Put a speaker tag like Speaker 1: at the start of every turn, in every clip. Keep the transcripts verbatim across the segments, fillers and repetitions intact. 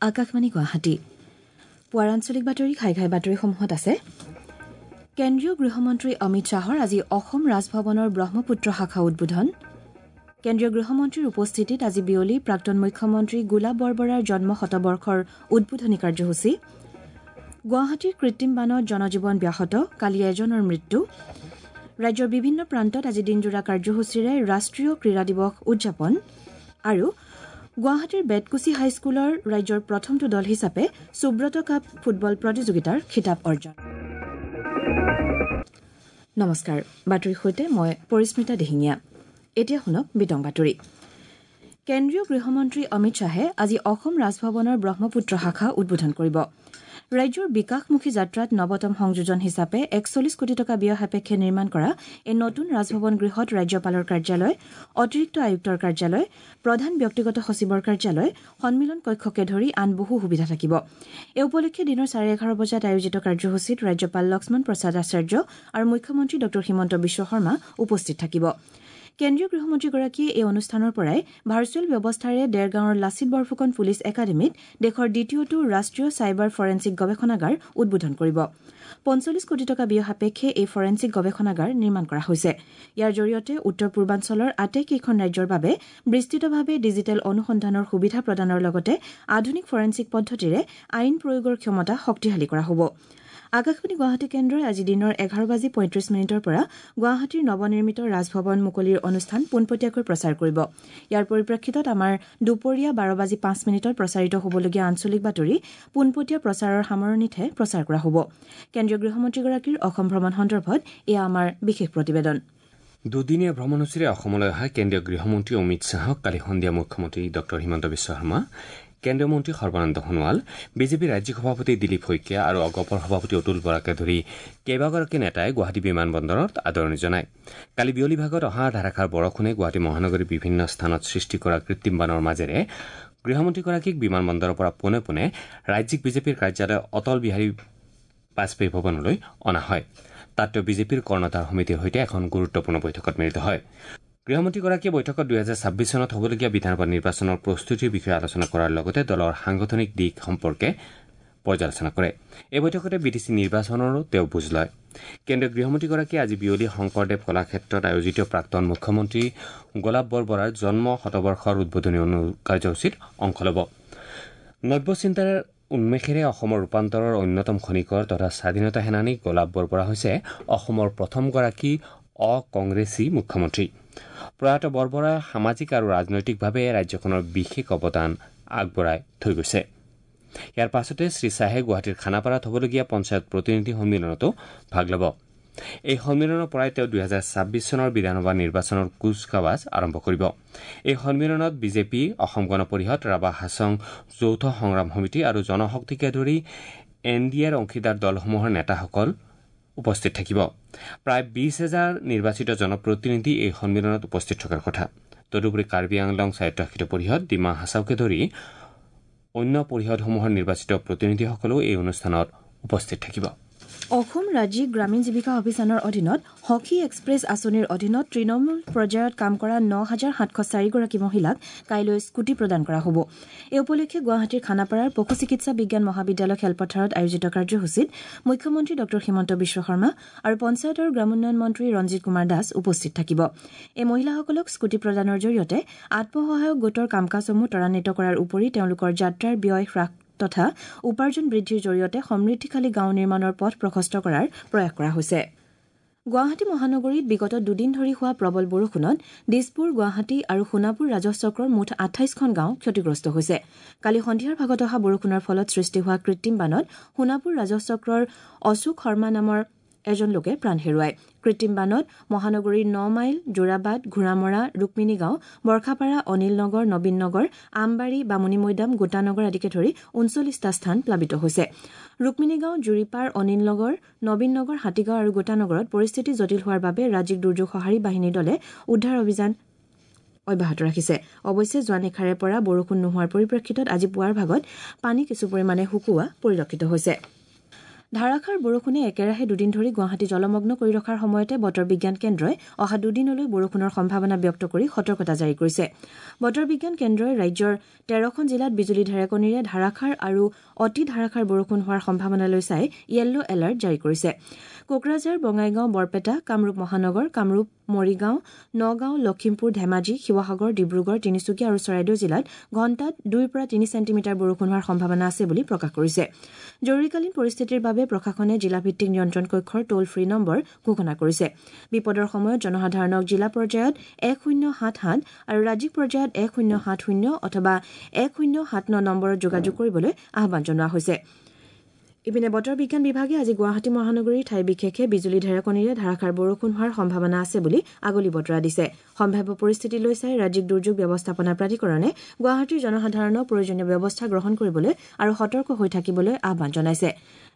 Speaker 1: আকাশবাণী গুৱাহাটী। পুৱাৰ আঞ্চলিক বাতৰি ঘাই ঘাই বাতৰিসমূহত আছে কেন্দ্ৰীয় গৃহমন্ত্ৰী অমিত শ্বাহৰ আজি অসম ৰাজভৱনৰ ব্ৰহ্মপুত্ৰ শাখা উদ্বোধন। কেন্দ্ৰীয় গৃহমন্ত্ৰীৰ উপস্থিতিত আজি বিয়লি প্ৰাক্তন মুখ্যমন্ত্ৰী গোলাপ বৰবৰাৰ জন্ম শতবৰ্ষৰ উদ্বোধনী কাৰ্যসূচী। গুৱাহাটীৰ কৃত্ৰিম বানত জনজীৱন ব্যাহত, কালি এজনৰ মৃত্যু। ৰাজ্যৰ বিভিন্ন প্ৰান্তত আজি দিনজোৰা কাৰ্যসূচীৰে ৰাষ্ট্ৰীয় ক্ৰীড়া দিৱস উদযাপন। আৰু গুৱাহাটীৰ বেতকুছি হাইস্কুলৰ ৰাজ্যৰ প্ৰথমটো দল হিচাপে সুব্ৰত কাপ ফুটবল প্ৰতিযোগিতাৰ খিতাপ অৰ্জন। নমস্কাৰ, বাতৰিৰ সৈতে মই পৰিস্মিতা দিহিঙীয়া। এতিয়া শুনক বিতং বাতৰি। কেন্দ্ৰীয় গৃহমন্ত্ৰী অমিত শ্বাহে আজি অসম ৰাজভৱনৰ ব্ৰহ্মপুত্ৰ শাখা উদ্বোধন কৰিব। ৰাজ্যৰ বিকাশমুখী যাত্ৰাত নৱতম সংযোজন হিচাপে একচল্লিছ কোটি টকা ব্যয় সাপেক্ষে নিৰ্মাণ কৰা এই নতুন ৰাজভৱন গৃহত ৰাজ্যপালৰ কাৰ্যালয়, অতিৰিক্ত আয়ুক্তৰ কাৰ্যালয়, প্ৰধান ব্যক্তিগত সচিবৰ কাৰ্যালয়, সন্মিলন কক্ষকে ধৰি আন বহু সুবিধা থাকিব। এই উপলক্ষে দিনৰ চাৰে এঘাৰ বজাত আয়োজিত কাৰ্যসূচীত ৰাজ্যপাল লক্ষ্মণ প্ৰসাদ আচাৰ্য আৰু মুখ্যমন্ত্ৰী ড হিমন্ত বিশ্ব শৰ্মা উপস্থিত থাকিব। কেন্দ্ৰীয় গৃহমন্ত্ৰীগৰাকীয়ে এই অনুষ্ঠানৰ পৰাই ভাৰ্চুৱেল ব্যৱস্থাৰে দেৰগাঁৱৰ লাচিত বৰফুকন পুলিচ একাডেমীত দেশৰ দ্বিতীয়টো ৰাষ্ট্ৰীয় চাইবাৰ ফৰেনছিক গৱেষণাগাৰ উদ্বোধন কৰিব। পঞ্চল্লিছ কোটি টকা ব্যয় সাপেক্ষে এই ফৰেনছিক গৱেষণাগাৰ নিৰ্মাণ কৰা হৈছে। ইয়াৰ জৰিয়তে উত্তৰ পূৰ্বাঞ্চলৰ আটাইকেইখন ৰাজ্যৰ বাবে বিস্তৃতভাৱে ডিজিটেল অনুসন্ধানৰ সুবিধা প্ৰদানৰ লগতে আধুনিক ফৰেনছিক পদ্ধতিৰে আইন প্ৰয়োগৰ ক্ষমতা শক্তিশালী কৰা হ'ব। আকাশবাণী গুৱাহাটী কেন্দ্ৰই আজি দিনৰ এঘাৰ বাজি পঁয়ত্ৰিশ মিনিটৰ পৰা গুৱাহাটীৰ নৱনিৰ্মিত ৰাজভৱন মুকলিৰ অনুষ্ঠান পোনপটীয়াকৈ প্ৰচাৰ কৰিব। ইয়াৰ পৰিপ্ৰেক্ষিতত আমাৰ দুপৰীয়া বাৰ বাজি পাঁচ মিনিটত প্ৰচাৰিত হ'বলগীয়া আঞ্চলিক বাতৰি পোনপটীয়া প্ৰচাৰৰ সামৰণিতহে প্ৰচাৰ কৰা হ'ব। কেন্দ্ৰীয় গৃহমন্ত্ৰীগৰাকীৰ অসম ভ্ৰমণ সন্দৰ্ভত এয়া আমাৰ বিশেষ প্ৰতিবেদন।
Speaker 2: দুদিনীয়া ভ্ৰমণসূচীৰে অসমলৈ অহা কেন্দ্ৰীয় গৃহমন্ত্ৰী অমিত শ্বাহক কালি সন্ধিয়া মুখ্যমন্ত্ৰী ড হিমন্ত বিশ্ব শৰ্মা, কেন্দ্ৰীয় মন্ত্ৰী সৰ্বানন্দ সোণোৱাল, বিজেপিৰ ৰাজ্যিক সভাপতি দিলীপ শইকীয়া আৰু অগপৰ সভাপতি অতুল বৰাকে ধৰি কেইবাগৰাকী নেতাই গুৱাহাটী বিমানবন্দৰত আদৰণি জনায়। কালি বিয়লি ভাগত অহা ধাৰাসাৰ বৰষুণে গুৱাহাটী মহানগৰীৰ বিভিন্ন স্থানত সৃষ্টি কৰা কৃত্ৰিম বানৰ মাজেৰে গৃহমন্ত্ৰীগৰাকীক বিমানবন্দৰৰ পৰা পোনে পোনে ৰাজ্যিক বিজেপিৰ কাৰ্যালয় অটল বিহাৰী বাজপেয়ী ভৱনলৈ অনা হয়। তাত তেওঁ বিজেপিৰ কৰ্ণধাৰ সমিতিৰ সৈতে এখন গুৰুত্বপূৰ্ণ বৈঠকত মিলিত হয়। গৃহমন্ত্ৰীগৰাকীয়ে বৈঠকত দুহেজাৰ ছাব্বিছ চনত হ'বলগীয়া বিধানসভা নিৰ্বাচনৰ প্ৰস্তুতিৰ বিষয়ে আলোচনা কৰাৰ লগতে দলৰ সাংগঠনিক দিশ সম্পৰ্কে পৰ্যালোচনা কৰে। এই বৈঠকতে বি টি চি নিৰ্বাচনৰো তেওঁ বুজ লয়। কেন্দ্ৰীয় গৃহমন্ত্ৰীগৰাকীয়ে আজি বিয়লি শংকৰদেৱ কলাক্ষেত্ৰত আয়োজিত প্ৰাক্তন মুখ্যমন্ত্ৰী গোলাপ বৰবৰাৰ জন্ম শতবৰ্ষৰ উদ্বোধনী কাৰ্যসূচীত অংশ ল'ব। নব্য চিন্তাৰ উন্মেষেৰে অসমৰ ৰূপান্তৰৰ অন্যতম খনিকৰ তথা স্বাধীনতা সেনানী গোলাপ বৰবৰা হৈছে অসমৰ প্ৰথমগৰাকী অকংগ্ৰেছী মুখ্যমন্ত্ৰী। প্ৰয়াত বৰবৰাই সামাজিক আৰু ৰাজনৈতিকভাৱে ৰাজ্যখনৰ বিশেষ অৱদান আগবঢ়াই থৈ গৈছে। ইয়াৰ পাছতে শ্ৰীশ্বাহে গুৱাহাটীৰ খানাপাৰাত হ'বলগীয়া পঞ্চায়ত প্ৰতিনিধি সন্মিলনতো ভাগ ল'ব। এই সন্মিলনৰ পৰাই তেওঁ দুহেজাৰ ছাব্বিছ চনৰ বিধানসভা নিৰ্বাচনৰ কুচকাৱাজ আৰম্ভ কৰিব। এই সন্মিলনত বিজেপি, অসম গণ পৰিষদ, ৰাভা হাছং যৌথ সংগ্ৰাম সমিতি আৰু জনশক্তিকে ধৰি এন ডি এৰ অংশীদাৰ দলসমূহৰ নেতাসকল উপস্থিত থাকিব। প্ৰায় বিশ হাজাৰ নিৰ্বাচিত জনপ্ৰতিনিধি এই সন্মিলনত উপস্থিত থকাৰ কথা। তদুপৰি কাৰ্বি আংলং স্বায়ত্তশাসিত পৰিষদ, ডিমা হাছাওকে ধৰি অন্য পৰিষদসমূহৰ নিৰ্বাচিত প্ৰতিনিধিসকলেও এই অনুষ্ঠানত উপস্থিত থাকিব।
Speaker 1: অসম ৰাজ্যিক গ্ৰামীণ জীৱিকা অভিযানৰ অধীনত সখী এক্সপ্ৰেছ আঁচনিৰ অধীনত তৃণমূল পৰ্যায়ত কাম কৰা ন হাজাৰ সাতশ চাৰিগৰাকী মহিলাক কাইলৈ স্কুটি প্ৰদান কৰা হ'ব। এই উপলক্ষে গুৱাহাটীৰ খানাপাৰাৰ পশু চিকিৎসা বিজ্ঞান মহাবিদ্যালয় খেলপথাৰত আয়োজিত কাৰ্যসূচীত মুখ্যমন্ত্ৰী ড হিমন্ত বিশ্ব শৰ্মা আৰু পঞ্চায়ত আৰু গ্ৰামোন্নয়ন মন্ত্ৰী ৰঞ্জিত কুমাৰ দাস উপস্থিত থাকিব। এই মহিলাসকলক স্কুটি প্ৰদানৰ জৰিয়তে আত্মসহায়ক গোটৰ কাম কাজসমূহ ত্বৰান্বিত কৰাৰ উপৰি তেওঁলোকৰ যাত্ৰাৰ ব্যয় হ্ৰাস তথা উপাৰ্জন বৃদ্ধিৰ জৰিয়তে সমৃদ্ধিশালী গাঁও নিৰ্মাণৰ পথ প্ৰশস্ত কৰাৰ প্ৰয়াস কৰা হৈছে। গুৱাহাটী মহানগৰীত বিগত দুদিন ধৰি হোৱা প্ৰবল বৰষুণত দিছপুৰ, গুৱাহাটী আৰু সোণাপুৰ ৰাজহ চক্ৰৰ মুঠ আঠাইছখন গাঁও ক্ষতিগ্ৰস্ত হৈছে। কালি সন্ধিয়াৰ ভাগত অহা বৰষুণৰ ফলত সৃষ্টি হোৱা কৃত্ৰিম বানত সোণাপুৰ ৰাজহ চক্ৰৰ অশোক শৰ্মা নামৰ এজন লোকে প্ৰাণ হেৰুৱায়। কৃত্ৰিম বানত মহানগৰীৰ ন মাইল, যোৰাবাট, ঘোঁৰামৰা, ৰুক্মিণীগাঁও, বৰ্ষাপাৰা, অনিল নগৰ, নবীন নগৰ, আমবাৰী, বামুণীমৈদাম, গোটানগৰ আদিকে ধৰি ঊনচল্লিছটা স্থান প্লাবিত হৈছে। ৰুক্মিণীগাঁও, জুৰিপাৰ, অনিল নগৰ, নবীন নগৰ, হাতীগাঁও আৰু গোটানগৰত পৰিস্থিতি জটিল হোৱাৰ বাবে ৰাজ্যিক দুৰ্যোগ সঁহাৰি বাহিনীৰ দলে উদ্ধাৰ অভিযান অব্যাহত ৰাখিছে। অৱশ্যে যোৱা নিশাৰে পৰা বৰষুণ নোহোৱাৰ পৰিপ্ৰেক্ষিতত আজি পুৱাৰ ভাগত পানী কিছু পৰিমাণে শুকোৱা পৰিলক্ষিত হৈছে। ধাৰাসাৰ বৰষুণে একেৰাহে দুদিন ধৰি গুৱাহাটী জলমগ্ন কৰি ৰখাৰ সময়তে বতৰ বিজ্ঞান কেন্দ্ৰই অহা দুদিনলৈ বৰষুণৰ সম্ভাৱনা ব্যক্ত কৰি সতৰ্কতা জাৰি কৰিছে। বতৰ বিজ্ঞান কেন্দ্ৰই ৰাজ্যৰ তেৰখন জিলাত বিজুলী ঢেৰেকনিৰে ধাৰাসাৰ আৰু অতি ধাৰাসাৰ বৰষুণ হোৱাৰ সম্ভাৱনালৈ চাই য়েল্ল' এলাৰ্ট জাৰি কৰিছে। কোকৰাঝাৰ, বঙাইগাঁও, বৰপেটা, কামৰূপ মহানগৰ, কামৰূপ, মৰিগাঁও, নগাঁও, লখিমপুৰ, ধেমাজি, শিৱসাগৰ, ডিব্ৰুগড়, তিনিচুকীয়া আৰু চৰাইদেউ জিলাত ঘণ্টাত দুইৰ পৰা তিনি চেণ্টিমিটাৰ বৰষুণ হোৱাৰ সম্ভাৱনা আছে বুলি প্ৰকাশ কৰিছে। জৰুৰীকালীন পৰিস্থিতিৰ বাবে প্ৰশাসনে জিলাভিত্তিক নিয়ন্ত্ৰণ কক্ষৰ টোল ফ্ৰী নম্বৰ ঘোষণা কৰিছে। বিপদৰ সময়ত জনসাধাৰণক জিলা পৰ্যায়ত এক শূন্য সাত সাত আৰু ৰাজ্যিক পৰ্যায়ত এক শূন্য সাত শূন্য অথবা এক শূন্য সাত ন নম্বৰত যোগাযোগ কৰিবলৈ আহ্বান জনোৱা হৈছে। ইপিনে বতৰ বিজ্ঞান বিভাগে আজি গুৱাহাটী মহানগৰীৰ ঠাই বিশেষে বিজুলী ঢেৰেকনিৰে ধাৰাসাৰ বৰষুণ হোৱাৰ সম্ভাৱনা আছে বুলি আগলি বতৰা দিছে। সম্ভাৱ্য পৰিস্থিতিলৈ চাই ৰাজ্যিক দুৰ্যোগ ব্যৱস্থাপনা প্ৰাধিকৰণে গুৱাহাটীৰ জনসাধাৰণক প্ৰয়োজনীয় ব্যৱস্থা গ্ৰহণ কৰিবলৈ আৰু সতৰ্ক হৈ থাকিবলৈ আহ্বান জনাইছে।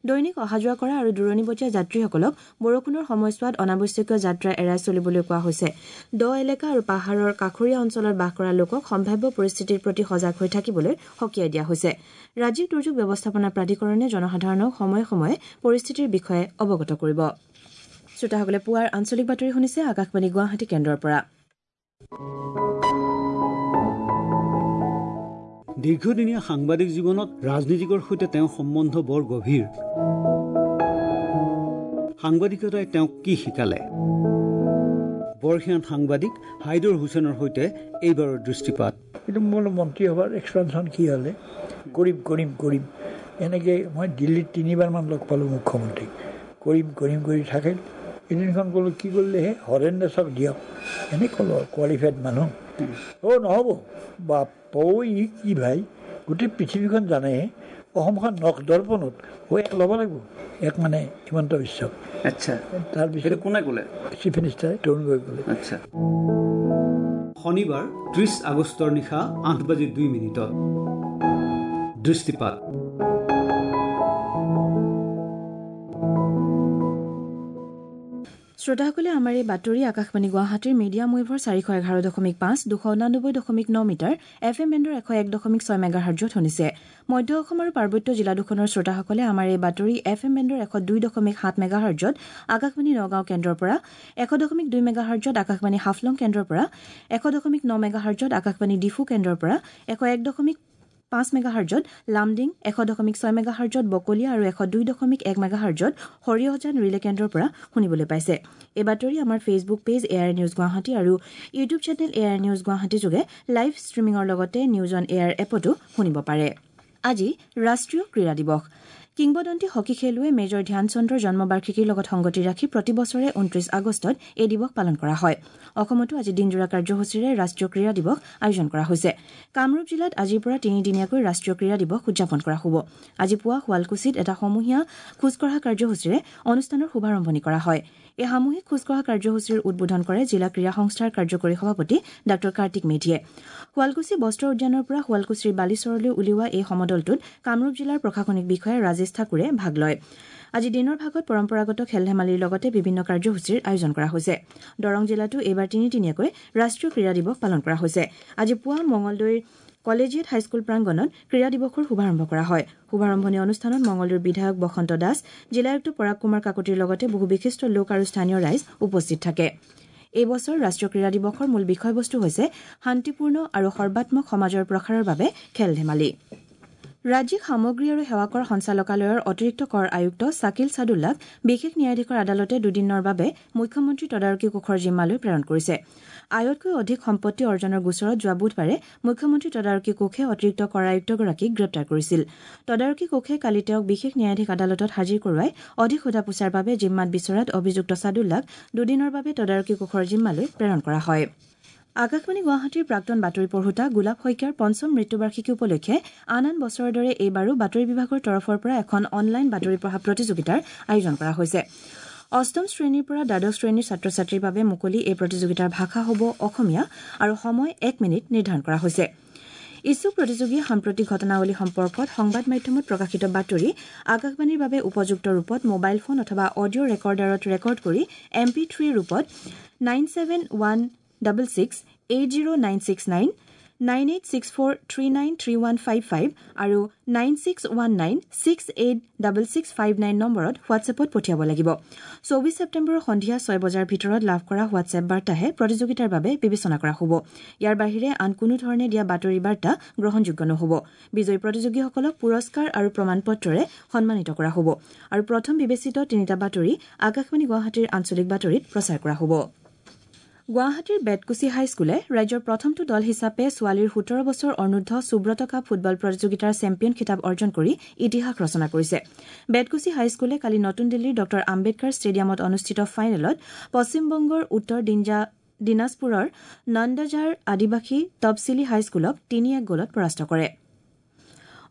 Speaker 1: দৈনিক অহা যোৱা কৰা আৰু দূৰণিবটীয়া যাত্ৰীসকলক বৰষুণৰ সময়ছোৱাত অনাৱশ্যকীয় যাত্ৰা এৰাই চলিবলৈ কোৱা হৈছে। দ এলেকা আৰু পাহাৰৰ কাষৰীয়া অঞ্চলত বাস কৰা লোকক সম্ভাৱ্য পৰিস্থিতিৰ প্ৰতি সজাগ হৈ থাকিবলৈ সকীয়াই দিয়া হৈছে। ৰাজ্যিক দুৰ্যোগ ব্যৱস্থাপনা প্ৰাধিকৰণে জনসাধাৰণক সময়ে সময়ে পৰিস্থিতিৰ বিষয়ে অৱগত কৰিব। শ্ৰোতাসকলে পুৱাৰ আঞ্চলিক বাতৰি শুনিছে আকাশবাণী গুৱাহাটী কেন্দ্ৰৰ পৰা।
Speaker 3: দীৰ্ঘদিনীয়া সাংবাদিক জীৱনত ৰাজনীতিকৰ সৈতে তেওঁৰ সম্বন্ধ বৰ গভীৰ। সাংবাদিকতাই তেওঁক কি শিকালে? বৰ্ষীয়ান সাংবাদিক হাইদৰ হুছেইনৰ সৈতে এইবাৰৰ দৃষ্টিপাত।
Speaker 4: কিন্তু মোৰ মন্ত্ৰীসভাৰ এক্সপেনশ্যন কি হ'লে কৰিম কৰিম কৰিম এনেকৈ মই দিল্লীত তিনিবাৰমান লগ পালোঁ মুখ্যমন্ত্ৰীক, কৰিম কৰিম কৰি থাকিল। এদিনখন ক'লোঁ কি কৰিলেহে হৰেণ দাসক দিয়ক, এনেই ক'লোঁ কোৱালিফাইড মানুহ। অ' নহ'ব বাপ ই কি ভাই, গোটেই পৃথিৱীখন জানেহে অসমখন নখ দৰ্পণত অ' এক ল'ব লাগিব, এক মানে হিমন্ত বিশ্বক।
Speaker 3: আচ্ছা,
Speaker 4: তাৰপিছত
Speaker 3: কোনে ক'লে?
Speaker 4: চিফ মিনিষ্টাৰ তৰুণ গগৈ ক'লে।
Speaker 3: আচ্ছা, শনিবাৰ ত্ৰিছ আগষ্টৰ নিশা আঠ বাজি দুই মিনিটত দৃষ্টিপাত।
Speaker 1: শ্ৰোতাসকলে আমাৰ এই বাতৰি আকাশবাণী গুৱাহাটীৰ মিডিয়াম ৱেভৰ চাৰিশ এঘাৰ দশমিক পাঁচ, দুশ ঊনানব্বৈ দশমিক ন মিটাৰ, এফ এম বেণ্ডৰ এশ এক দশমিক ছয় মেগাহাৰ্জত শুনিছে। মধ্য অসম আৰু পাৰ্বত্য জিলা দুখনৰ শ্ৰোতাসকলে আমাৰ এই বাতৰি এফ এম বেণ্ডৰ এশ দুই দশমিক সাত মেগাহাৰ্জত আকাশবাণী নগাঁও কেন্দ্ৰৰ পৰা, এশ দশমিক দুই মেগাহাৰ্জত আকাশবাণী হাফলং কেন্দ্ৰৰ পৰা, এশ দশমিক ন মেগাহাৰ্জত আকাশবাণী ডিফু কেন্দ্ৰৰ পৰা, এশ এক দশমিক পাঁচ মেগাহাৰ্জত লামডিং, এশ দশমিক ছয় মেগাহাৰ্জত বকলীয়া আৰু এশ দুই দশমিক এক মেগাহাৰ্জত সৰিয়হজান ৰিলে কেন্দ্ৰৰ পৰা শুনিবলৈ পাইছে। এই বাতৰি আমাৰ Facebook page A I R news Guwahati আৰু YouTube channel A I R news Guwahati যোগে লাইভ ষ্ট্ৰীমিঙৰ লগতে নিউজ অন এয়াৰ এপতো শুনিব পাৰে। আজি ৰাষ্ট্ৰীয় ক্ৰীড়া দিৱস। কিংবদন্তি হকী খেলুৱৈ মেজৰ ধ্যানচন্দ্ৰৰ জন্মবাৰ্ষিকীৰ লগত সংগতি ৰাখি প্ৰতি বছৰে ঊনত্ৰিশ আগষ্টত এই দিৱস পালন কৰা হয়। অসমতো আজি দিনজোৰা কাৰ্যসূচীৰে ৰাষ্ট্ৰীয় ক্ৰীড়া দিৱস আয়োজন কৰা হৈছে। কামৰূপ জিলাত আজিৰ পৰা তিনিদিনীয়াকৈ ৰাষ্ট্ৰীয় ক্ৰীড়া দিৱস উদযাপন কৰা হ'ব। আজি পুৱা শুৱালকুছিত এটা সমূহীয়া খোজকঢ়া কাৰ্যসূচীৰে অনুষ্ঠানৰ শুভাৰম্ভণি কৰা হয়। এই সামূহিক খোজকঢ়া কাৰ্যসূচীৰ উদ্বোধন কৰে জিলা ক্ৰীড়া সংস্থাৰ কাৰ্যকৰী সভাপতি ডাঃ কাৰ্তিক মেধিয়ে। শুৱালকুছি বস্ত্ৰ উদ্যানৰ পৰা শুৱালকুছিৰ বালিচৰলৈ উলিওৱা এই সমদলটোত কামৰূপ জিলাৰ প্ৰশাসনিক বিষয়া ৰাজেশ ঠাকুৰে ভাগ লয়। আজি দিনৰ ভাগত পৰম্পৰাগত খেল ধেমালিৰ লগতে বিভিন্ন কাৰ্যসূচীৰ আয়োজন কৰা হৈছে। দৰং জিলাতো এইবাৰ তিনিদিনীয়াকৈ ৰাষ্ট্ৰীয় ক্ৰীড়া দিৱস পালন কৰা হৈছে। আজি পুৱা মঙলদৈৰ কলেজিয়েট হাইস্কুল প্ৰাংগণত ক্ৰীড়া দিৱসৰ শুভাৰম্ভ কৰা হয়। শুভাৰম্ভণি অনুষ্ঠানত মঙলদৈৰ বিধায়ক বসন্ত দাস, জিলা আয়ুক্ত পৰাগ কুমাৰ কাকতিৰ লগতে বহু বিশিষ্ট লোক আৰু স্থানীয় ৰাইজ উপস্থিত থাকে। এই বছৰ ৰাষ্ট্ৰীয় ক্ৰীড়া দিৱসৰ মূল বিষয়বস্তু হৈছে শান্তিপূৰ্ণ আৰু সৰ্বাত্মক সমাজৰ প্ৰসাৰৰ বাবে খেল ধেমালি। ৰাজ্যিক সামগ্ৰী আৰু সেৱা কৰ সঞ্চালকালয়ৰ অতিৰিক্ত কৰ আয়ুক্ত ছাকিল ছাদুল্লাক বিশেষ ন্যায়াধীশৰ আদালতে দুদিনৰ বাবে মুখ্যমন্ত্ৰী তদাৰকী কোষৰ জিম্মালৈ প্ৰেৰণ কৰিছে। আয়তকৈ অধিক সম্পত্তি অৰ্জনৰ গোচৰত যোৱা বুধবাৰে মুখ্যমন্ত্ৰী তদাৰকী কোষে অতিৰিক্ত কৰ আয়ুক্তগৰাকীক গ্ৰেপ্তাৰ কৰিছিল। তদাৰকী কোষে কালি তেওঁক বিশেষ ন্যায়াধীশ আদালতত হাজিৰ কৰোৱাই অধিক সোধা পোছাৰ বাবে জিম্মাত বিচৰাত অভিযুক্ত ছাদুল্লাক দুদিনৰ বাবে তদাৰকী কোষৰ জিম্মালৈ প্ৰেৰণ কৰা হয়। আকাশবাণী গুৱাহাটীৰ প্ৰাক্তন বাতৰি পঢ়োতা গোলাপ শইকীয়াৰ পঞ্চম মৃত্যুবাৰ্ষিকী উপলক্ষে আন আন বছৰৰ দৰে এইবাৰো বাতৰি বিভাগৰ তৰফৰ পৰা এখন অনলাইন বাতৰি পঢ়া প্ৰতিযোগিতাৰ আয়োজন কৰা হৈছে। অষ্টম শ্ৰেণীৰ পৰা দ্বাদশ শ্ৰেণীৰ ছাত্ৰ ছাত্ৰীৰ বাবে মুকলি এই প্ৰতিযোগিতাৰ ভাষা হ'ব অসমীয়া আৰু সময় এক মিনিট নিৰ্ধাৰণ কৰা হৈছে। ইচ্ছুক প্ৰতিযোগীয়ে সাম্প্ৰতিক ঘটনাৱলী সম্পৰ্কত সংবাদ মাধ্যমত প্ৰকাশিত বাতৰি আকাশবাণীৰ বাবে উপযুক্ত ৰূপত মোবাইল ফোন অথবা অডিঅ' ৰেকৰ্ডাৰত ৰেকৰ্ড কৰি এম পি থ্ৰী ৰূপত nine seven one double six eight zero nine six nine, nine eight six four three nine three one five five আৰু nine six one nine six eight double six five nine নম্বৰত হোৱাটছএপত পঠিয়াব লাগিব। চৌবিছ ছেপ্টেম্বৰৰ সন্ধিয়া ছয় বজাৰ ভিতৰত লাভ কৰা হোৱাটছএপ বাৰ্তাহে প্ৰতিযোগিতাৰ বাবে বিবেচনা কৰা হ'ব। ইয়াৰ বাহিৰে আন কোনো ধৰণে দিয়া বাতৰি বাৰ্তা গ্ৰহণযোগ্য নহ'ব। বিজয়ী প্ৰতিযোগীসকলক পুৰস্কাৰ আৰু প্ৰমাণপত্ৰৰে সন্মানিত কৰা হ'ব আৰু প্ৰথম বিবেচিত তিনিটা বাতৰি আকাশবাণী গুৱাহাটীৰ আঞ্চলিক বাতৰিত প্ৰচাৰ কৰা হ'ব। গুৱাহাটীৰ বেতকুছি হাইস্কুলে ৰাজ্যৰ প্ৰথমটো দল হিচাপে ছোৱালীৰ সোতৰ বছৰ অনুৰ্ধ সুব্ৰত কাপ ফুটবল প্ৰতিযোগিতাৰ চেম্পিয়ন খিতাপ অৰ্জন কৰি ইতিহাস ৰচনা কৰিছে। বেতকুছি হাইস্কুলে কালি নতুন দিল্লীৰ ডঃ আম্বেদকাৰ ষ্টেডিয়ামত অনুষ্ঠিত ফাইনেলত পশ্চিমবংগৰ উত্তৰ দিনাজপুৰৰ নন্দঝাৰ আদিবাসী তপচিলি হাইস্কুলক তিনি এক গ'লত পৰাস্ত কৰে।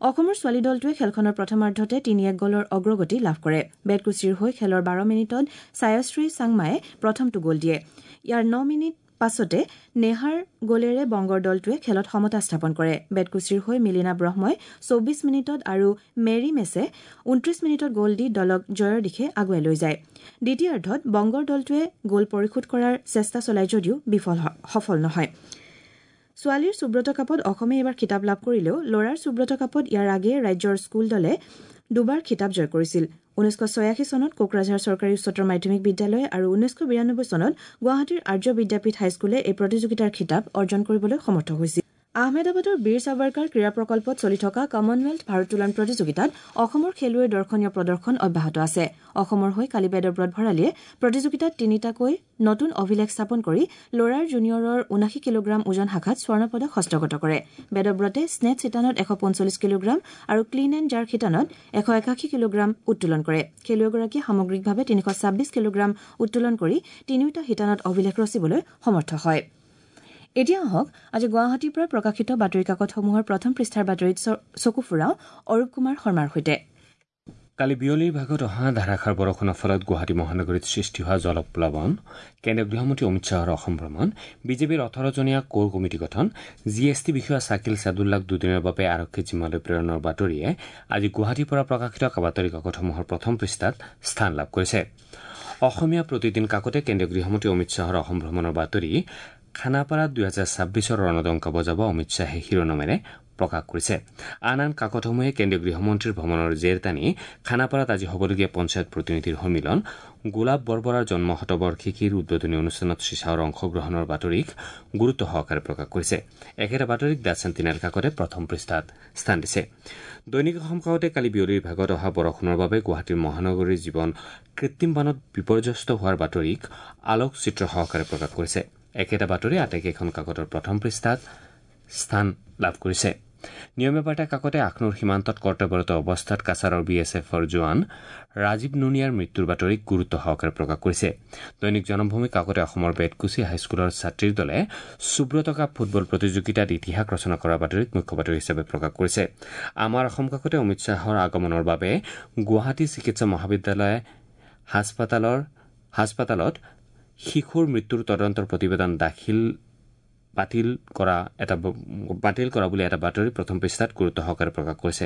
Speaker 1: অসমৰ ছোৱালী দলটোৱে খেলখনৰ প্ৰথমাৰ্ধতে তিনি এক গ'লৰ অগ্ৰগতি লাভ কৰে। বেতকুছিৰ হৈ খেলৰ বাৰ মিনিটত ছায়াশ্ৰী চাংমায়ে প্ৰথমটো গ'ল দিয়ে। ইয়াৰ ন মিনিট পাছতে নেহাৰ গ'লেৰে বংগৰ দলটোৱে খেলত সমতা স্থাপন কৰে। বেতকুছিৰ হৈ মিলিনা ব্ৰহ্মই চৌবিছ মিনিটত আৰু মেৰী মেছে ঊনত্ৰিছ মিনিটত গ'ল দি দলক জয়ৰ দিশে আগুৱাই লৈ যায়। দ্বিতীয়াৰ্ধত বংগৰ দলটোৱে গ'ল পৰিশোধ কৰাৰ চেষ্টা চলায় যদিও বিফল সফল নহয়। ছোৱালীৰ সুব্ৰত কাপত অসমে এইবাৰ খিতাপ লাভ কৰিলেও ল'ৰাৰ সুব্ৰত কাপত ইয়াৰ আগেয়ে ৰাজ্যৰ স্কুল দলে দুবাৰ খিতাপ জয় কৰিছিল। ঊনৈছশ ছয়াশী চনত কোকৰাঝাৰ চৰকাৰী উচ্চতৰ মাধ্যমিক বিদ্যালয় আৰু ঊনৈছশ বিৰানব্বৈ চনত গুৱাহাটীৰ আৰ্য বিদ্যাপীঠ হাইস্কুলে এই প্ৰতিযোগিতাৰ খিতাপ অৰ্জন কৰিবলৈ সমৰ্থ হৈছিল। আহমেদাবাদৰ বীৰ সাভাৰকাৰ ক্ৰীড়া প্ৰকল্পত চলি থকা কমনৱেলথ ভাৰোত্তোলন প্ৰতিযোগিতাত অসমৰ খেলুৱৈৰ দৰ্শনীয় প্ৰদৰ্শন অব্যাহত আছে। অসমৰ হৈ কালি বেদব্ৰত ভৰালীয়ে প্ৰতিযোগিতাত তিনিটাকৈ নতুন অভিলেখ স্থাপন কৰি ল'ৰাৰ জুনিয়ৰৰ ঊনাশী কিলোগ্ৰাম ওজন শাখাত স্বৰ্ণ পদক হস্তগত কৰে। বেদব্ৰতে স্নেচ শিতানত এশ পঞ্চল্লিছ কিলোগ্ৰাম আৰু ক্লিন এণ্ড জাৰ শিতানত এশ একাশী কিলোগ্ৰাম উত্তোলন কৰে। খেলুৱৈগৰাকীয়ে সামগ্ৰিকভাৱে তিনিশ ছাব্বিছ কিলোগ্ৰাম উত্তোলন কৰি তিনিওটা শিতানত অভিলেখ ৰচিবলৈ সমৰ্থ হয়। এতিয়া আহক আজি গুৱাহাটীৰ পৰা প্ৰকাশিত বাতৰি কাকতসমূহৰ প্ৰথম পৃষ্ঠাৰ বাতৰিত চকু ফুৰাওঁ অৰূপ কুমাৰ শৰ্মাৰ সৈতে।
Speaker 2: কালি বিয়লিৰ ভাগত অহা ধাৰাসাৰ বৰষুণৰ ফলত গুৱাহাটী মহানগৰীত সৃষ্টি হোৱা জলপ্লাৱন, কেন্দ্ৰীয় গৃহমন্ত্ৰী অমিত শ্বাহৰ অসম ভ্ৰমণ, বিজেপিৰ ওঠৰজনীয়া কোৰ কমিটি গঠন, জি এছ টি বিষয়া চাকিল চাদুল্লাক দুদিনৰ বাবে আৰক্ষী জিম্মালৈ প্ৰেৰণৰ বাতৰিয়ে আজি গুৱাহাটীৰ পৰা প্ৰকাশিত বাতৰি কাকতসমূহৰ প্ৰথম পৃষ্ঠাত স্থান লাভ কৰিছে। অসমীয়া প্ৰতিদিন কাকতে কেন্দ্ৰীয় গৃহমন্ত্ৰী অমিত শ্বাহৰ অসম ভ্ৰমণৰ বাতৰি খানাপাৰাত দুহেজাৰ ছাব্বিছৰ ৰণদংকা বজাব অমিত শ্বাহে শিৰোনামেৰে প্ৰকাশ কৰিছে। আন আন কাকতসমূহে কেন্দ্ৰীয় গৃহমন্ত্ৰীৰ ভ্ৰমণৰ জেৰ টানি খানাপাৰাত আজি হ'বলগীয়া পঞ্চায়ত প্ৰতিনিধিৰ সন্মিলন, গোলাপ বৰবৰাৰ জন্ম শতবাৰ্ষিকীৰ উদ্বোধনী অনুষ্ঠানত শ্ৰীশ্বাহৰ অংশগ্ৰহণৰ বাতৰিক গুৰুত্ব সহকাৰে প্ৰকাশ কৰিছে। একেটা বাতৰিক the sentinel কাকতে প্ৰথম পৃষ্ঠাত স্থান দিছে। দৈনিক অসম কাকতে কালি বিয়লিৰ ভাগত অহা বৰষুণৰ বাবে গুৱাহাটীৰ মহানগৰীৰ জীৱন কৃত্ৰিম বানত বিপৰ্যস্ত হোৱাৰ বাতৰিক আলোকচিত্ৰ সহকাৰে প্ৰকাশ কৰিছে। একেটা বাতৰি আটাইকেইখন কাকতৰ প্ৰথম পৃষ্ঠাত স্থান লাভ কৰিছে। নিয়মীয়া বাৰ্তা কাকতে আখনুৰ সীমান্তত কৰ্তব্যৰত অৱস্থাত কাছাৰৰ বি এছ এফৰ জোৱান ৰাজীৱ নুনিয়াৰ মৃত্যুৰ বাতৰিক গুৰুত্ব সহকাৰে প্ৰকাশ কৰিছে। দৈনিক জনমভূমি কাকতে অসমৰ বেতকুছি হাইস্কুলৰ ছাত্ৰীৰ দলে সুব্ৰত কাপ ফুটবল প্ৰতিযোগিতাত ইতিহাস ৰচনা কৰাৰ বাতৰিক মুখ্য বাতৰি হিচাপে প্ৰকাশ কৰিছে। আমাৰ অসম কাকতে অমিত শ্বাহৰ আগমনৰ বাবে গুৱাহাটী চিকিৎসা মহাবিদ্যালয় হাস্পতালৰ হাস্পতালত শিশুৰ মৃত্যুৰ তদন্তৰ প্ৰতিবেদন দাখিল বাতিল কৰা এটা বাতিল কৰা বুলি এটা বাতৰি প্ৰথম পৃষ্ঠাত গুৰুত্ব সহকাৰে প্ৰকাশ কৰিছে।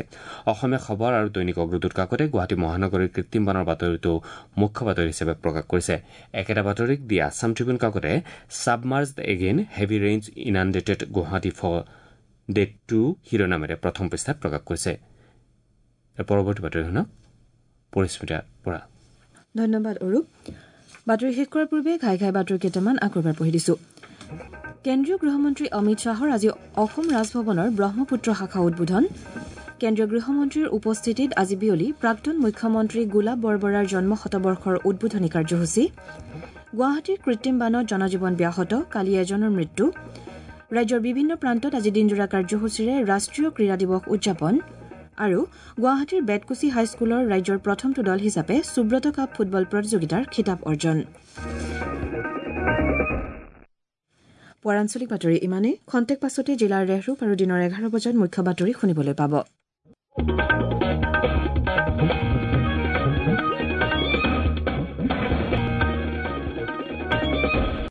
Speaker 2: অসমীয়া খবৰ আৰু দৈনিক অগ্ৰদূত কাকতে গুৱাহাটী মহানগৰীৰ কৃত্ৰিম বানৰ বাতৰিটো মুখ্য বাতৰি হিচাপে প্ৰকাশ কৰিছে। একেটা বাতৰিক দি আছাম ট্ৰিবিউন কাকতে submerged again heavy rains inundated Guwahati for day two শিৰোনামেৰে প্ৰথম পৃষ্ঠাত প্ৰকাশ কৰিছে। পৰৱৰ্তী বাতৰি শুনক পৰিস্মিতা পৰা।
Speaker 1: ধন্যবাদ অৰূপ। বাতৰি শেষ কৰাৰ পূৰ্বে ঘাই ঘাই বাতৰি কেইটামান আকৌ এবাৰ পঢ়ি দিছো। কেন্দ্ৰীয় গৃহমন্ত্ৰী অমিত শ্বাহৰ আজি অসম ৰাজভৱনৰ ব্ৰহ্মপুত্ৰ শাখা উদ্বোধন। কেন্দ্ৰীয় গৃহমন্ত্ৰীৰ উপস্থিতিত আজি বিয়লি প্ৰাক্তন মুখ্যমন্ত্ৰী গোলাপ বৰবৰাৰ জন্ম শতবৰ্ষৰ উদ্বোধনী কাৰ্যসূচী। গুৱাহাটীৰ কৃত্ৰিম বানত জনজীৱন ব্যাহত, কালি এজনৰ মৃত্যু। ৰাজ্যৰ বিভিন্ন প্ৰান্তত আজি দিনজোৰা কাৰ্যসূচীৰে ৰাষ্ট্ৰীয় ক্ৰীড়া দিৱস উদযাপন। আৰু গুৱাহাটীৰ বেতকুছি হাইস্কুলৰ ৰাজ্যৰ প্ৰথমটো দল হিচাপে সুব্ৰত কাপ ফুটবল প্ৰতিযোগিতাৰ খিতাপ অৰ্জন। পুৱাৰ আঞ্চলিক বাতৰি ইমানেই। খন্তেক পাছতে জিলাৰ ৰেহৰূপ আৰু দিনৰ এঘাৰ বজাত মুখ্য বাতৰি শুনিবলৈ পাব।